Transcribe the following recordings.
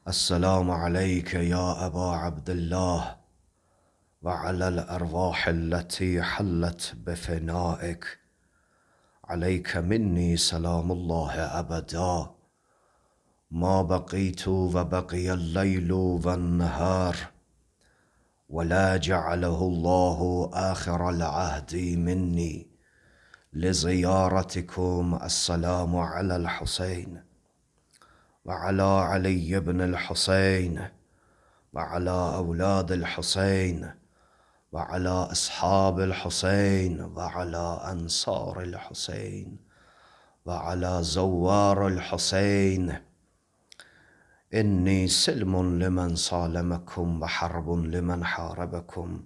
السلام عليك يا أبا عبد الله وعلى الأرواح التي حلت بفنائك. عليك مني سلام الله أبدا ما بقيت وبقي الليل والنهار، ولا جعله الله آخر العهد مني لزيارتكم. السلام على الحسين وعلى علي بن الحسين وعلى أولاد الحسين وعلى أصحاب الحسين وعلى أنصار الحسين وعلى زوار الحسين. إني سلم لمن صالمكم وحرب لمن حاربكم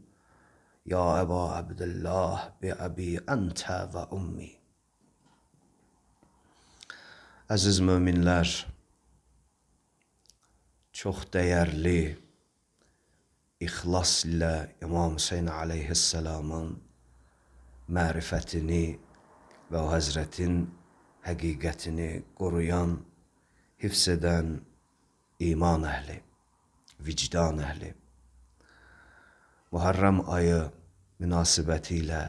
يا أبا عبد الله بأبي أنت وأمي. Aziz müminler, çok değerli İxlas ile İmam Hüseyin aleyhisselamın mərifətini və o Həzrətin həqiqətini qoruyan, hifz edən iman əhli, vicdan əhli. Muharrem ayı münasibətilə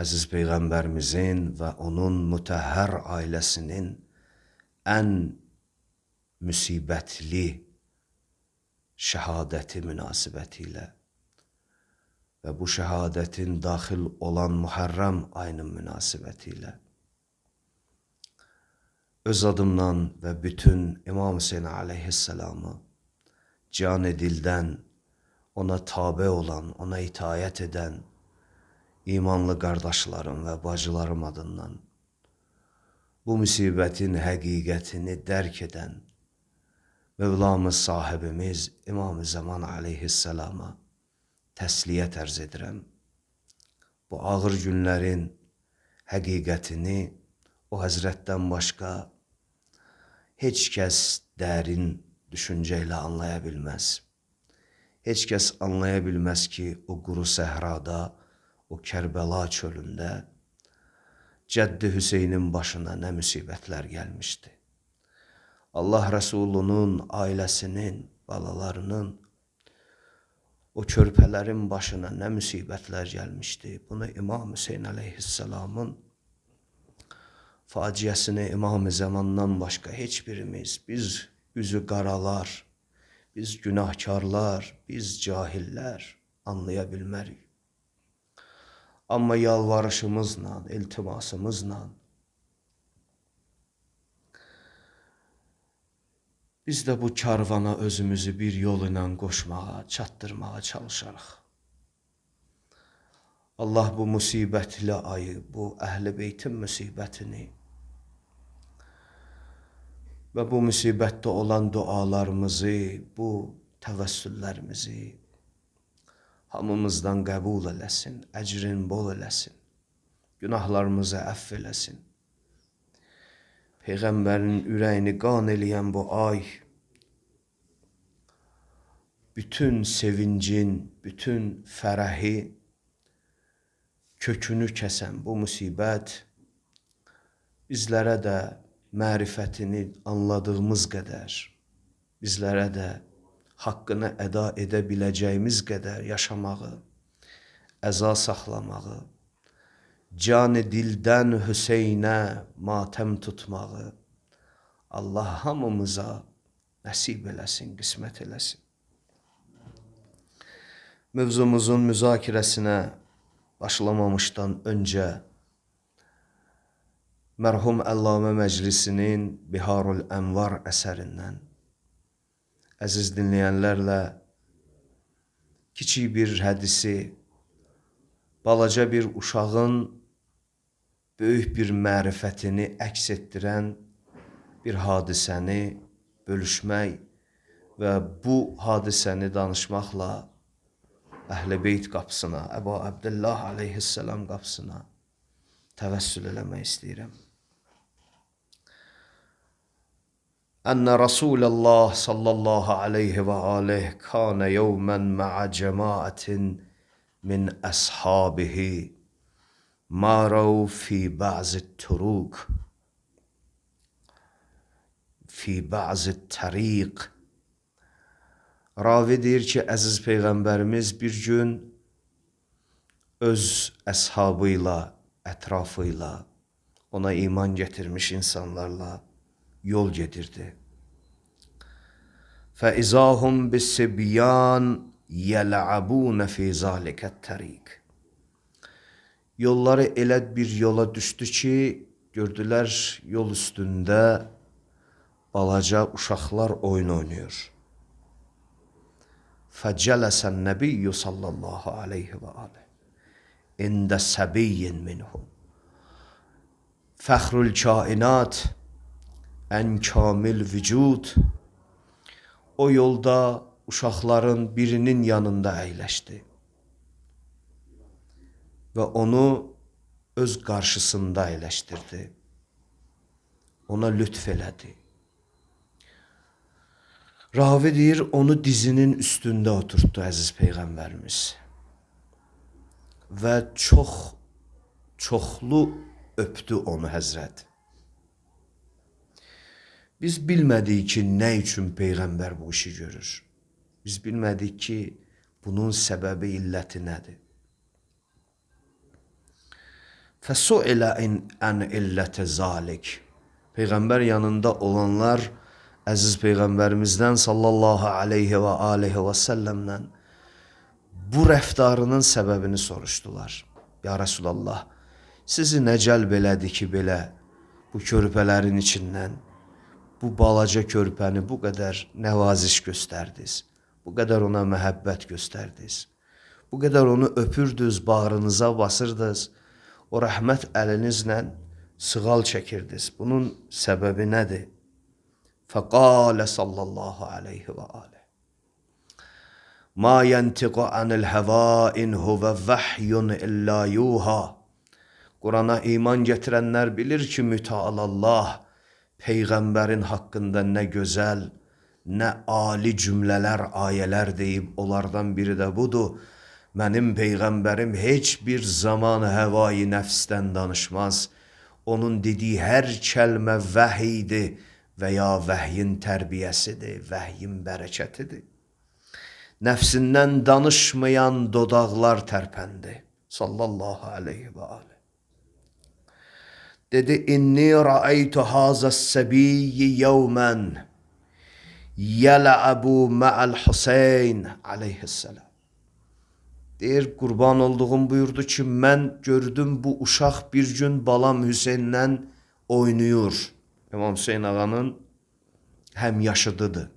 Əziz Peyğəmbərimizin və onun mütəhhər ailəsinin ən müsibətli şəhadəti münasibətilə və bu şəhadətin daxil olan Muharrem ayının münasibətilə öz adımdan və bütün İmam Hüseyin aleyhisselamı can dildən ona tabe olan, ona itaət edən imanlı qardaşlarım və bacılarım adından bu müsibətin həqiqətini dərk edən Mevlamız sahibimiz İmam-ı Zaman aleyhisselama təsliyyət ərz edirəm. Bu ağır günlərin həqiqətini o Həzrətdən başqa heç kəs dərin düşüncə ilə anlaya bilməz. Heç kəs anlaya bilməz ki, o quru səhrada, o Kərbəla çölündə Cəddi Hüseynin başına nə müsibətlər gəlmişdi. Allah Resulunun, ailəsinin, balalarının, o körpələrin başına nə müsibətlər gəlmişdi. Bunu İmam Hüseyin aleyhisselamın faciəsini İmam-ı Zamandan başqa heç birimiz, biz üzü qaralar, biz günahkarlar, biz cahillər anlaya bilmərik. Amma yalvarışımızla, iltimasımızla biz də bu karvana özümüzü bir yol ilə qoşmağa, çatdırmağa çalışarıq. Allah bu müsibətli ayı, bu Əhl-i Beytin müsibətini və bu müsibətdə olan dualarımızı, bu təvəssüllərimizi hamımızdan qəbul eləsin, əcrin bol eləsin, günahlarımızı əff eləsin. Peyğəmbərin ürəyini qan eləyən bu ay, bütün sevincin, bütün fərəhi, kökünü kəsən bu müsibət bizlərə də mərifətini anladığımız qədər, bizlərə də haqqını əda edə biləcəyimiz qədər yaşamağı, əza saxlamağı, can dildən Hüseynə matəm tutmağı Allah hamımıza nəsib eləsin, qismət eləsin. Mövzumuzun müzakirəsinə başlamamışdan öncə mərhum Əllamə Məclisinin Biharul Ənvar əsərindən əziz dinləyənlərlə kiçik bir hədisi, balaca bir uşağın böyük bir mərifətini əks etdirən bir hadisəni bölüşmək və bu hadisəni danışmaqla Əhl-i Beyt qapısına, Əbu Abdullah aleyhisselam qapısına təvəssül eləmək istəyirəm. Ənə Rasulullah sallallahu aleyhi və aleyh kânə yevmən mə'a cəmaətin min əshabihi ماروا في بعض الطرق fi ba'zi tariq. Ravi deyir ki, əziz Peyğəmbərimiz bir gün öz əshabıyla, ətrafıyla, ona iman getirmiş insanlarla yol gedirdi. فَإِذَاهُمْ بِالسِّبْيَانِ يَلْعَبُونَ فِي ذَلِكَ التَّرِيقِ. Yolları elə bir yola düşdü ki, gördülər yol üstündə balaca uşaqlar oyun oynayır. فَجَلَسَ النَّبِيُّ صَلَّى اللّٰهُ عَلَيْهِ وَآلِهِ اِنْدَ سَبِيٍّ مِنْهُمْ. Fəxrül kainat, ən kamil vücud, o yolda uşaqların birinin yanında əyləşdi və onu öz qarşısında əyləşdirdi. Ona lütf elədi. Ravi deyir, onu dizinin üstündə oturtdu əziz Peyğəmbərimiz və çoxlu öpdü onu Həzrət. Biz bilmədik ki, nə üçün Peyğəmbər bu işi görür. Biz bilmədik ki, bunun səbəbi, illəti nədir. فَسُئِلَ عَنْ إِلَّةِ ذَلِكَ. Peyğəmbər yanında olanlar əziz Peyğəmbərimizdən sallallahu aleyhi və aleyhi və səlləmdən bu rəftarının səbəbini soruşdular. Ya Resulallah, sizi nə cəlb elədi ki, belə bu körpələrin içindən bu balaca körpəni bu qədər nəvaziş göstərdiniz, bu qədər ona məhəbbət göstərdiniz, bu qədər onu öpürdünüz, bağrınıza basırdınız, o rəhmət əlinizlə sığal çəkirdiniz. Bunun səbəbi nədir? Fəqalə sallallahu aleyhi və aleyh. Ma yəntiqu anil həva in huvə vəhyun illə yuha. Qurana iman getirənlər bilir ki, mütəalallah Peyğəmbərin haqqında nə gözəl, nə ali cümlələr, ayələr deyib, onlardan biri də budur. Mənim Peyğəmbərim heç bir zaman həvai nəfsdən danışmaz. Onun dediyi hər kəlmə vəhiydir və ya vəhyin tərbiyəsidir, vəhyin bərəkətidir. Nəfsindən danışmayan dodaqlar tərpəndi. Sallallahu aleyhi və aleyhi. Dedi, inni rəaytu hazəs səbiyyi yevmən yələ'əbu mə'əl Hüseyn aleyhisselam. Deyir, qurban olduğum buyurdu ki, mən gördüm bu uşaq bir gün balam Hüseynlə oynayır. İmam Hüseyn ağanın həmyaşıdıdır.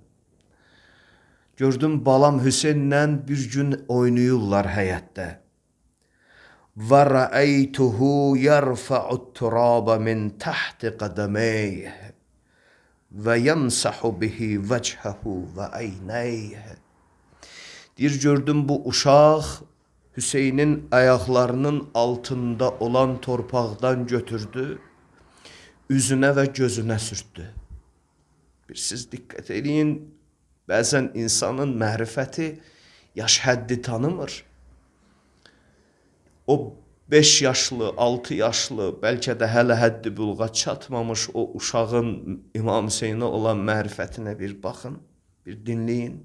Gördüm balam Hüseynlə bir gün oynayırlar həyətdə. Və rəəytuhu yərfə'ut-turaba min təhti qədəmeyh və yəmsəhu bihi vəchəhu və əynəyh. Deyir, gördüm bu uşaq Hüseynin ayaqlarının altında olan torpaqdan götürdü, üzünə və gözünə sürtdü. Siz diqqət edin, bəzən insanın mərifəti yaş həddi tanımır. O 5 yaşlı, 6 yaşlı, bəlkə də hələ həddi buluğa çatmamış o uşağın İmam Hüseynə olan mərifətinə bir baxın, bir dinləyin,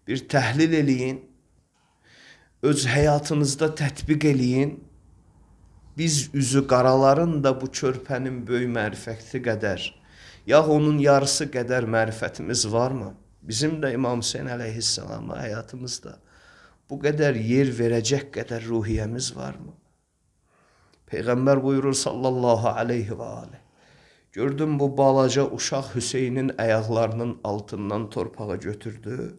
bir təhlil eləyin, öz həyatınızda tətbiq eləyin. Biz üzü qaraların da bu körpənin böyük mərifəti qədər, ya onun yarısı qədər mərifətimiz varmı? Bizim də İmam Hüseyn əleyhissalama həyatımızda bu qədər yer verəcək qədər ruhiyyəmiz varmı? Peyğəmbər buyurur sallallahu aleyhi və aleyh. Gördüm bu balaca uşaq Hüseynin ayaqlarının altından torpağa götürdü,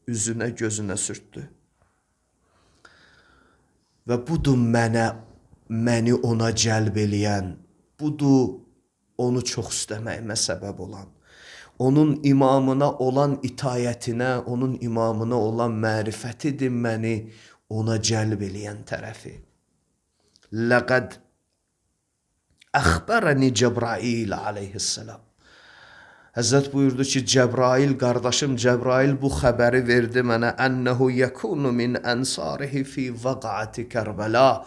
üzünə gözünə sürtdü. Və budur məni ona cəlb eləyən, budur onu çox istəməyimə səbəb olan, onun imamına olan itayətinə, onun imamına olan mərifətidir məni ona cəlb eləyən tərəfi. Ləqəd əxbərəni Cəbrail aleyhisselam. Həzrət buyurdu ki, Cəbrail, qardaşım Cəbrail bu xəbəri verdi mənə, ənəhu yəkunu min ənsarihi fi vəqəti Kərbəla.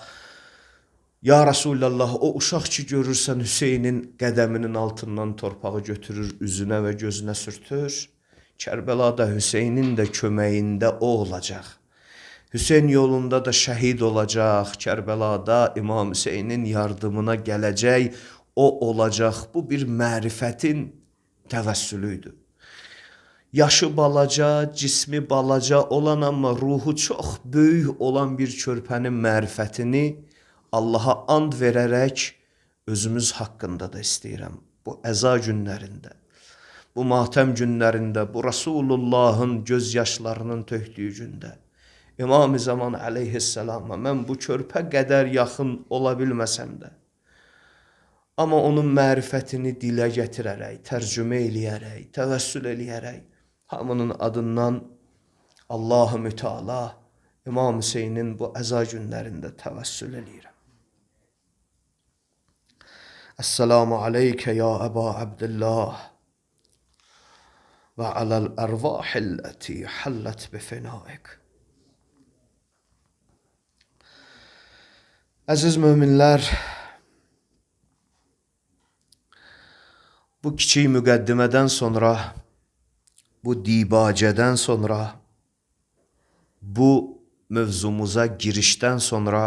Ya Resulallah, o uşaq ki görürsən Hüseynin qədəminin altından torpağı götürür, üzünə və gözünə sürtür. Kərbəlada Hüseynin də köməyində o olacaq. Hüseyn yolunda da şəhid olacaq. Kərbəlada İmam Hüseynin yardımına gələcək, o olacaq. Bu bir mərifətin təvəssülüydür. Yaşı balaca, cismi balaca olan amma ruhu çox böyük olan bir körpənin mərifətini Allaha and verərək özümüz haqqında da istəyirəm. Bu əza günlərində, bu matəm günlərində, bu Rasulullahın göz yaşlarının tökdüyü gündə İmam-ı Zaman əleyhisselama mən bu körpə qədər yaxın ola bilməsəm də, amma onun mərifətini dilə gətirərək, tərcümə eləyərək, təvəssül eləyərək, hamının adından Allah-ı Müteala İmam Hüseynin bu əza günlərində təvəssül eləyirəm. Esselamu aleykə ya Əba Abdillah və aləl ərvahilləti həllət bifinaik. Əziz möminlər, bu kiçik müqəddimədən sonra, bu dibacədən sonra, bu mövzumuza girişdən sonra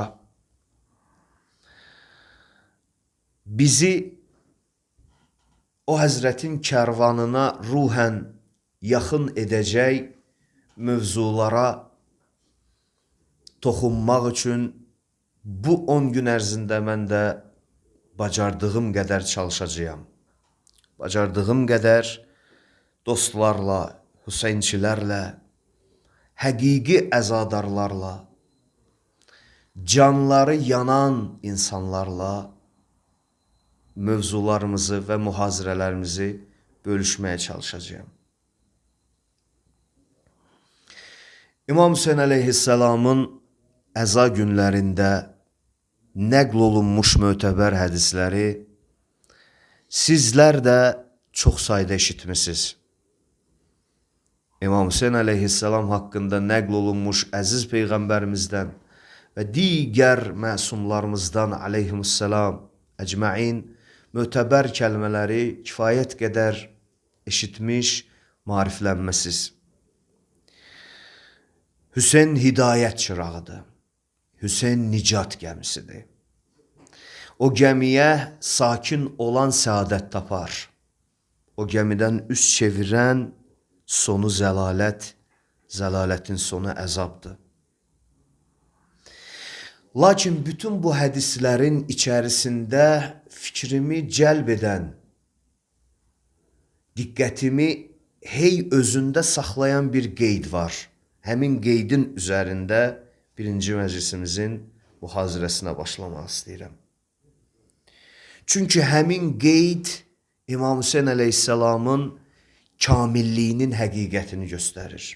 bizi o Həzrətin kərvanına ruhən yaxın edəcək mövzulara toxunmaq üçün bu 10 gün ərzində mən də bacardığım qədər çalışacağım. Bacardığım qədər dostlarla, Hüseynçilərlə, həqiqi əzadarlarla, canları yanan insanlarla mövzularımızı və mühazirələrimizi bölüşməyə çalışacağım. İmam Hüseyn əleyhisselamın əza günlərində nəql olunmuş mötəbər hədisləri sizlər də çox sayda eşitmisiniz. İmam Hüseyn əleyhisselam haqqında nəql olunmuş əziz Peyğəmbərimizdən və digər məsumlarımızdan əleyhisselam əcməin mötəbər kəlmələri kifayət qədər eşitmiş, mariflənməsiz. Hüseyn hidayət çırağıdır. Hüseyn nicat gəmisidir. O gəmiyə sakin olan səadət tapar. O gəmidən üz çevirən sonu zəlalət, zəlalətin sonu əzabdır. Lakin bütün bu hədislərin içərisində fikrimi cəlb edən, diqqətimi hey özündə saxlayan bir qeyd var. Həmin qeydin üzərində birinci məclisimizin mühazirəsinə başlamaq istəyirəm. Çünki həmin qeyd İmam Hüseyn əleyhisselamın kamilliyinin həqiqətini göstərir.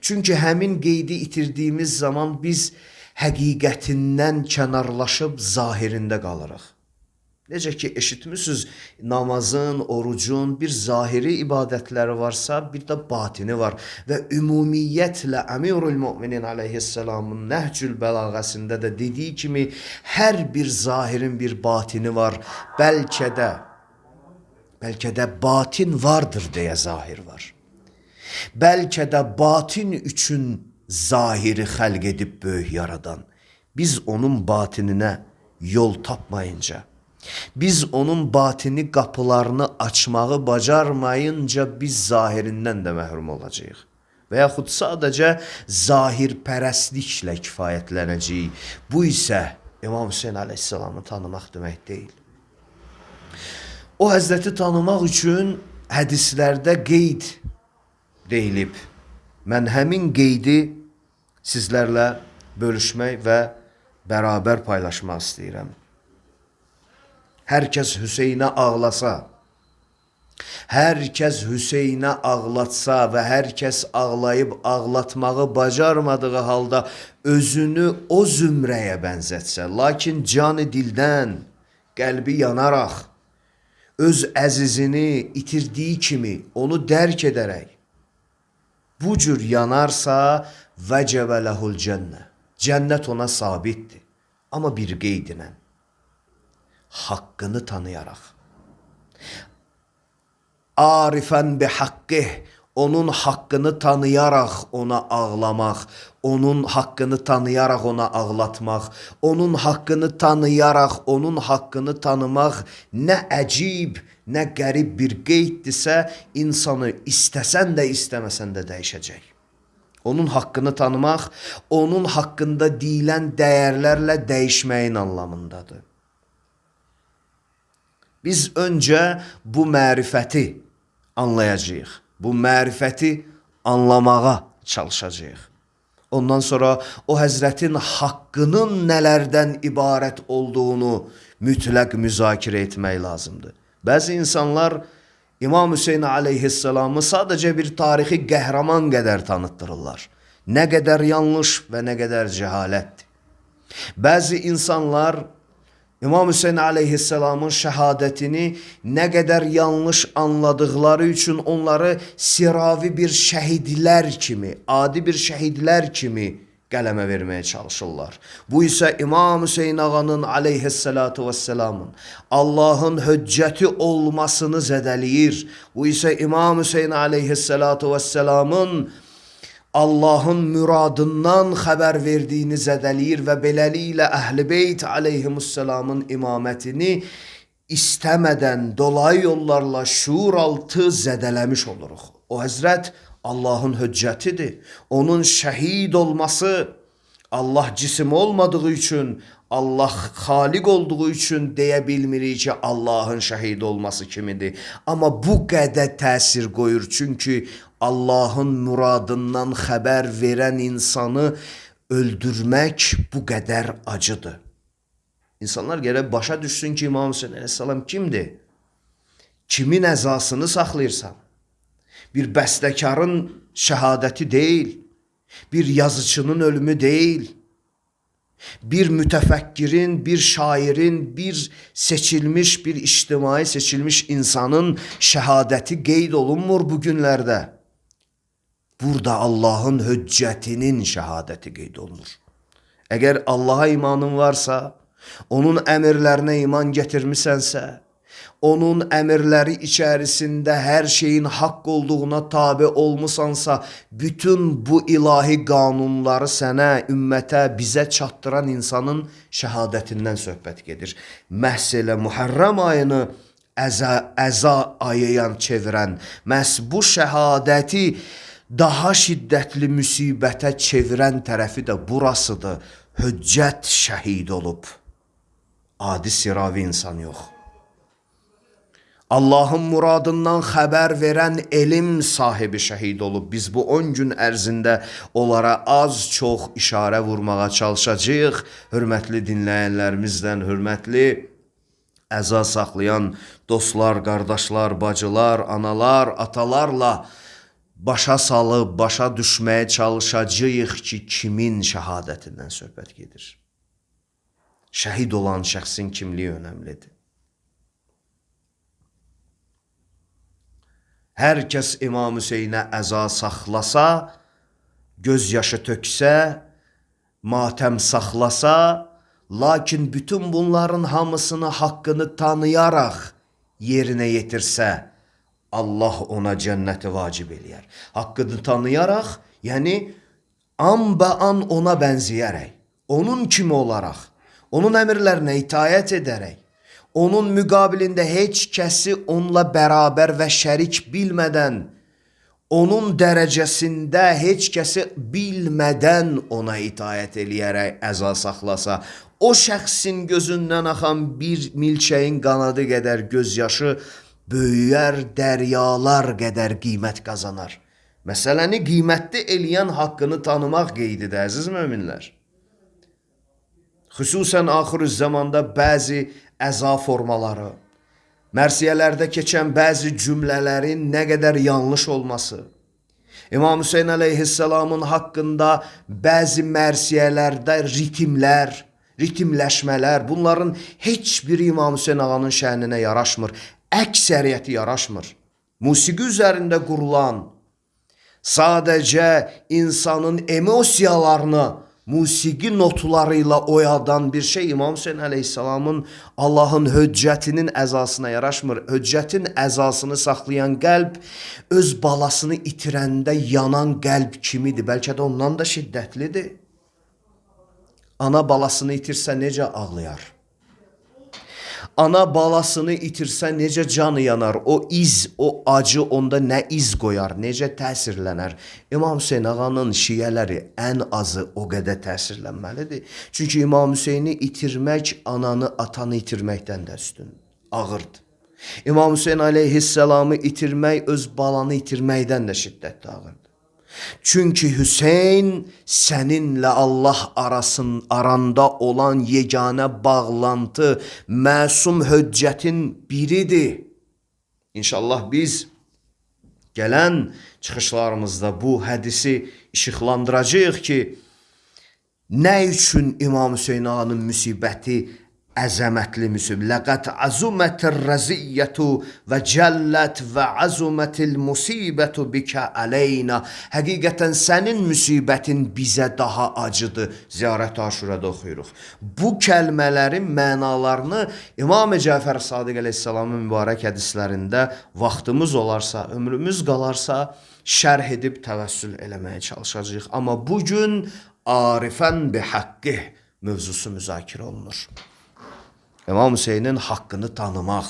Çünki həmin qeydi itirdiyimiz zaman biz həqiqətindən kənarlaşıb zahirində qalırıq. Necə ki eşitmişsiniz, namazın, orucun bir zahiri ibadətləri varsa, bir də batini var. Və ümumiyyətlə Əmirül Müminin əleyhisselamın Nəhcül Bəlağəsində də dediyi kimi hər bir zahirin bir batini var. Bəlkə də batin vardır deyə zahir var. Bəlkə də batin üçün zahiri xəlq edib böyük yaradan. Biz onun batininə yol tapmayınca, biz onun batini qapılarını açmağı bacarmayınca biz zahirindən də məhrum olacağıq. Və yaxud sadəcə zahirpərəstliklə kifayətlənəcəyik. Bu isə İmam Hüseyn əleyhisselamı tanımaq demək deyil. O Həzrəti tanımaq üçün hədislərdə qeyd deyilib. Mən həmin qeydi sizlərlə bölüşmək və bərabər paylaşmaq istəyirəm. Hər kəs Hüseynə ağlasa, hər kəs Hüseynə ağlatsa və hər kəs ağlayıb ağlatmağı bacarmadığı halda özünü o zümrəyə bənzətsə, lakin canı dildən, qəlbi yanaraq, öz əzizini itirdiyi kimi onu dərk edərək, bu cür yanarsa, vəcəbə ləhul cənnə, cənnət ona sabitdir. Amma bir qeydinə, haqqını tanıyaraq. Arifən bi haqqih, onun haqqını tanıyaraq ona ağlamaq, onun haqqını tanıyaraq ona ağlatmaq, onun haqqını tanıyaraq onun haqqını tanımaq nə əcib, nə qərib bir qeyddirsə, insanı istəsən də istəməsən də dəyişəcək. Onun haqqını tanımaq, onun haqqında deyilən dəyərlərlə dəyişməyin anlamındadır. Biz öncə bu mərifəti anlayacağıq. Bu mərifəti anlamağa çalışacağıq. Ondan sonra o Həzrətin haqqının nələrdən ibarət olduğunu mütləq müzakirə etmək lazımdır. Bəzi insanlar İmam Hüseyin aleyhisselamı sadəcə bir tarixi qəhrəman qədər tanıtdırırlar. Nə qədər yanlış və nə qədər cəhalətdir. Bəzi insanlar İmam Hüseyin aleyhisselamın şəhadətini nə qədər yanlış anladıqları üçün onları siravi bir şəhidlər kimi, adi bir şəhidlər kimi qələmə verməyə çalışırlar. Bu isə İmam Hüseyin ağanın aleyhissalatu vesselamın Allahın höccəti olmasını zədəliyir. Bu isə İmam Hüseyin aleyhissalatu vesselamın Allahın müradından xəbər verdiyini zədəliyir və beləliklə Əhl-i Beyt aleyhimussalamın imamətini istəmədən dolayı yollarla şuur altı zədələmiş oluruq. O Həzrət Allahın höccətidir. Onun şəhid olması Allah cisim olmadığı üçün, Allah xaliq olduğu üçün deyə bilmirik ki, Allahın şəhid olması kimidir. Amma bu qədər təsir qoyur. Çünki Allahın muradından xəbər verən insanı öldürmək bu qədər acıdır. İnsanlar gərək başa düşsün ki, İmam Hüseyin əleyhissalam kimdir? Kimin əzasını saxlayırsan? Bir bəstəkarın şəhadəti deyil, bir yazıçının ölümü deyil, bir mütəfəkkirin, bir şairin, bir seçilmiş, bir ictimai seçilmiş insanın şəhadəti qeyd olunmur bu günlərdə. Burada Allahın höccətinin şəhadəti qeyd olunur. Əgər Allaha imanın varsa, onun əmirlərinə iman gətirmisənsə, onun əmirləri içərisində hər şeyin haqq olduğuna tabi olmusansa, bütün bu ilahi qanunları sənə, ümmətə, bizə çatdıran insanın şəhadətindən söhbət gedir. Məhz elə Muharrəm ayını əza ayıyan çevirən, məhz bu şəhadəti daha şiddətli müsibətə çevirən tərəfi də burasıdır. Höccət şəhid olub. Adi siravi insan yox. Allahın muradından xəbər verən elm sahibi şəhid olub. Biz bu 10 gün ərzində onlara az-çox işarə vurmağa çalışacağıq. Hörmətli dinləyənlərimizdən, hörmətli əza saxlayan dostlar, qardaşlar, bacılar, analar, atalarla başa salıb, başa düşməyə çalışacağıq ki, kimin şəhadətindən söhbət gedir. Şəhid olan şəxsin kimliyi önəmlidir. Hər kəs İmam Hüseynə əza saxlasa, göz yaşı töksə, matəm saxlasa, lakin bütün bunların hamısını haqqını tanıyaraq yerinə yetirsə, Allah ona cənnəti vacib eləyər. Haqqını tanıyaraq, yəni an ona bənzəyərək, onun kimi olaraq, onun əmrlərinə itayət edərək, onun müqabilində heç kəsi onunla bərabər və şərik bilmədən, onun dərəcəsində heç kəsi bilmədən ona itayət eləyərək əza saxlasa, o şəxsin gözündən axan bir milçəyin qanadı qədər gözyaşı böyüyər, dəryalar qədər qiymət qazanar. Məsələni qiymətli eləyən haqqını tanımaq qeydidir, əziz möminlər. Xüsusən axır zamanda bəzi əza formaları, mərsiyələrdə keçən bəzi cümlələrin nə qədər yanlış olması, İmam Hüseyin əleyhissalamın haqqında bəzi mərsiyələrdə ritimləşmələr, bunların heç biri İmam Hüseyin ağanın şəhninə yaraşmır, əksəriyyəti yaraşmır. Musiqi üzərində qurulan, sadəcə insanın emosiyalarını musiqi notlarıyla oyadan bir şey İmam Hüseyin Aleyhisselamın Allahın höccətinin əzasına yaraşmır. Höccətin əzasını saxlayan qəlb öz balasını itirəndə yanan qəlb kimidir. Bəlkə də ondan da şiddətlidir. Ana balasını itirsə necə ağlayar? Ana balasını itirsə necə canı yanar? O iz, o acı onda nə iz qoyar? Necə təsirlənər? İmam Hüseyin ağanın şiyələri ən azı o qədər təsirlənməlidir. Çünki İmam Hüseyni itirmək ananı, atanı itirməkdən də üstün, ağırdır. İmam Hüseyin aleyhisselamı itirmək öz balanı itirməkdən də şiddətli ağırdır. Çünki Hüseyn səninlə Allah aranda olan yeganə bağlantı, məsum höccətin biridir. İnşallah biz gələn çıxışlarımızda bu hədisi işıqlandıracağıq ki, nə üçün İmam Hüseyin ağanın müsibəti əzəmətli müsibət. Laqad azumatir raziyyatu və cəllət və azumatil musibətu bika aleyna. Həqiqətən sənin müsibətin bizə daha acıdır. Ziyarət Aşurada oxuyuruq. Bu kəlmələrin mənalarını İmam Cəfər Sadiq əleyhissalamın mübarək hədislərində vaxtımız olarsa, ömrümüz qalarsa şərh edib təvəssül eləməyə çalışacağıq. Amma bugün arifən bi haqqih mövzusu müzakirə olunur. İmam Hüseynin haqqını tanımaq.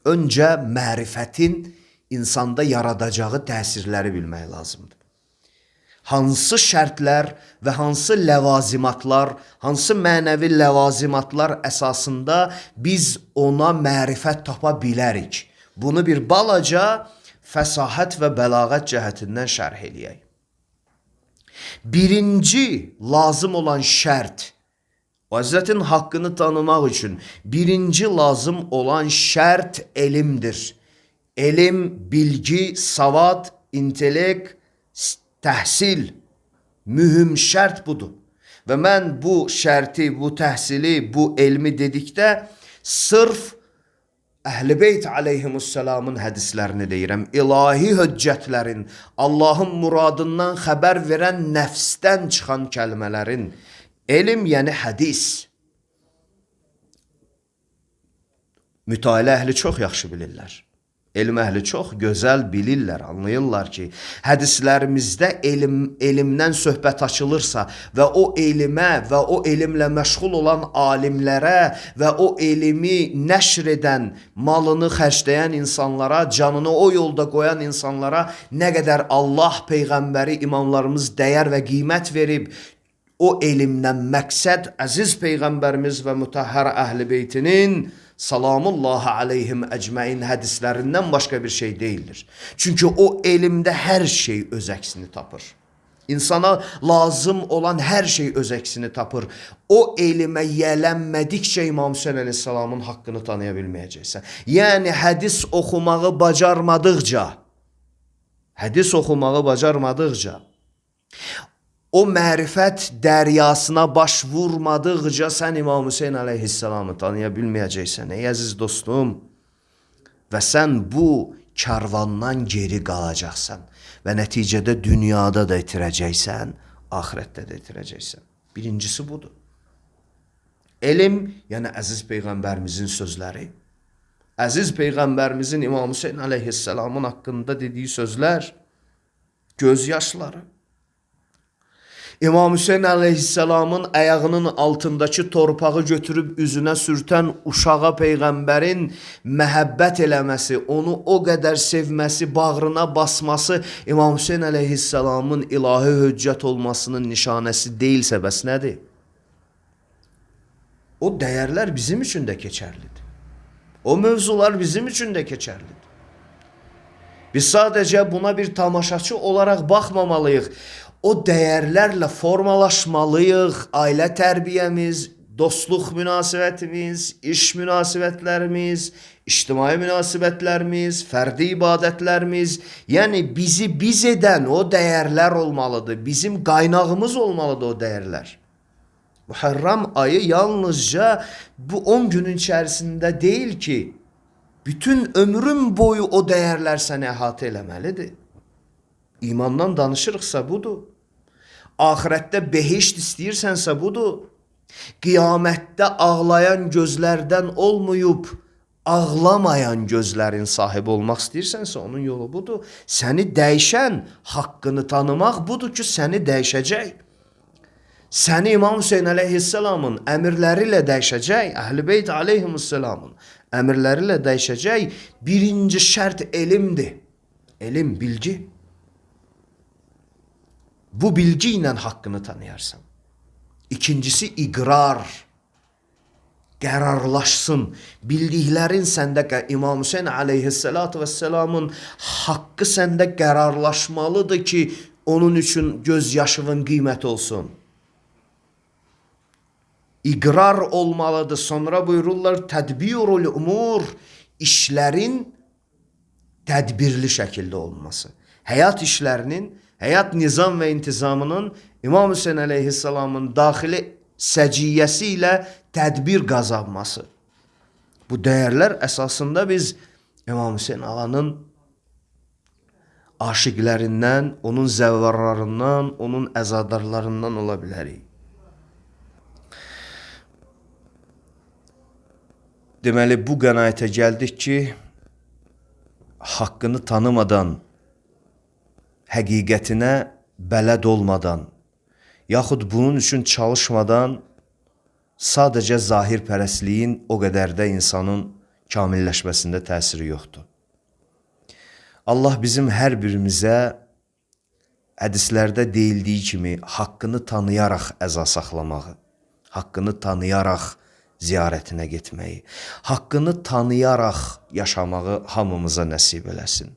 Öncə mərifətin insanda yaradacağı təsirləri bilmək lazımdır. Hansı şərtlər və hansı ləvazimatlar, hansı mənəvi ləvazimatlar əsasında biz ona mərifət tapa bilərik. Bunu bir balaca fəsahət və bəlağət cəhətindən şərh eləyək. Birinci lazım olan şərt, Hazretin haqqını tanımaq üçün birinci lazım olan şərt elmdir. Elm, bilgi, savad, intellekt, təhsil. Mühüm şərt budur. Və mən bu şərti, bu təhsili, bu elmi dedikdə sırf Əhl-i Beyt aleyhimussalamın hədislərini deyirəm. İlahi höccətlərin, Allahın muradından xəbər verən nəfsdən çıxan kəlmələrin, elm yəni hədis. Mütailə əhli çox yaxşı bilirlər. Elm əhli çox gözəl bilirlər, anlayırlar ki, hədislərimizdə elmdən söhbət açılırsa və o elmə və o elmlə məşğul olan alimlərə və o elmi nəşr edən, malını xərcləyən insanlara, canını o yolda qoyan insanlara nə qədər Allah, Peyğəmbəri, imamlarımız dəyər və qiymət verib, o elmdən məqsəd əziz Peyğəmbərimiz və mütəhhər Əhl-i Beytinin salamullahi aleyhim əcməin hədislərindən başqa bir şey deyildir. Çünki o elmdə hər şey öz əksini tapır. İnsana lazım olan hər şey öz əksini tapır. O elmə yələnmədikcə İmam Hüseyin əleyhissalamın haqqını tanıya bilməyəcəksən. Yəni hədis oxumağı bacarmadıqca, o mərifət dəryasına baş vurmadıqca sən İmam Hüseyin aleyhissalamı tanıya bilməyəcəksən. Ey əziz dostum, və sən bu karvandan geri qalacaqsan və nəticədə dünyada da itirəcəksən, ahirətdə də itirəcəksən. Birincisi budur. Elm, yəni əziz Peyğəmbərimizin sözləri, əziz Peyğəmbərimizin İmam Hüseyin aleyhissalamın haqqında dediyi sözlər, göz yaşları. İmam Hüseyin aleyhisselamın ayağının altındakı torpağı götürüb üzünə sürtən uşağa Peyğəmbərin məhəbbət eləməsi, onu o qədər sevməsi, bağrına basması İmam Hüseyin aleyhisselamın ilahi höccət olmasının nişanəsi deyilsə bəs nədir? O dəyərlər bizim üçün də keçərlidir. O mövzular bizim üçün də keçərlidir. Biz sadəcə buna bir tamaşaçı olaraq baxmamalıyıq. O dəyərlərlə formalaşmalıyıq. Ailə tərbiyəmiz, dostluq münasibətimiz, iş münasibətlərimiz, ictimai münasibətlərimiz, fərdi ibadətlərimiz, yəni bizi biz edən o dəyərlər olmalıdır. Bizim qaynağımız olmalıdır o dəyərlər. Muharram ayı yalnızca bu 10 günün içərisində deyil ki, bütün ömrün boyu o dəyərlər səni əhatə eləməlidir. İmandan danışırıqsa budur. Ahirətdə behişt istəyirsənsə budur. Qiyamətdə ağlayan gözlərdən olmayıb, ağlamayan gözlərin sahibi olmaq istəyirsənsə onun yolu budur. Səni dəyişən, haqqını tanımaq budur ki, səni dəyişəcək. Səni İmam Hüseyin əleyhisselamın əmirləri ilə dəyişəcək, Əhl-i Beyt əleyhisselamın əmirləri ilə dəyişəcək. Birinci şərt elmdir. Elm, bilgi. Bu bilgi ilə haqqını tanıyarsan. İkincisi iqrar. Qərarlaşsın. Bildiklərin səndə, İmam Hüseyin əleyhissalatu vesselamın haqqı səndə qərarlaşmalıdır ki, onun üçün gözyaşının qiyməti olsun. İqrar olmalıdır. Sonra buyururlar, tədbirul umur, işlərin tədbirli şəkildə olması. Həyat işlərinin, həyat nizam və intizamının İmam Hüseyin əleyhissalamın daxili səciyyəsi ilə tədbir qazanması. Bu dəyərlər əsasında biz İmam Hüseyin ağanın aşiqlərindən, onun zəvvarlarından, onun əzadarlarından ola bilərik. Deməli, bu qənaətə gəldik ki, haqqını tanımadan, həqiqətinə bələd olmadan, yaxud bunun üçün çalışmadan sadəcə zahir pərəstliyin o qədər də insanın kamilləşməsində təsiri yoxdur. Allah bizim hər birimizə hədislərdə deyildiyi kimi haqqını tanıyaraq əza saxlamağı, haqqını tanıyaraq ziyarətinə getməyi, haqqını tanıyaraq yaşamağı hamımıza nəsib eləsin.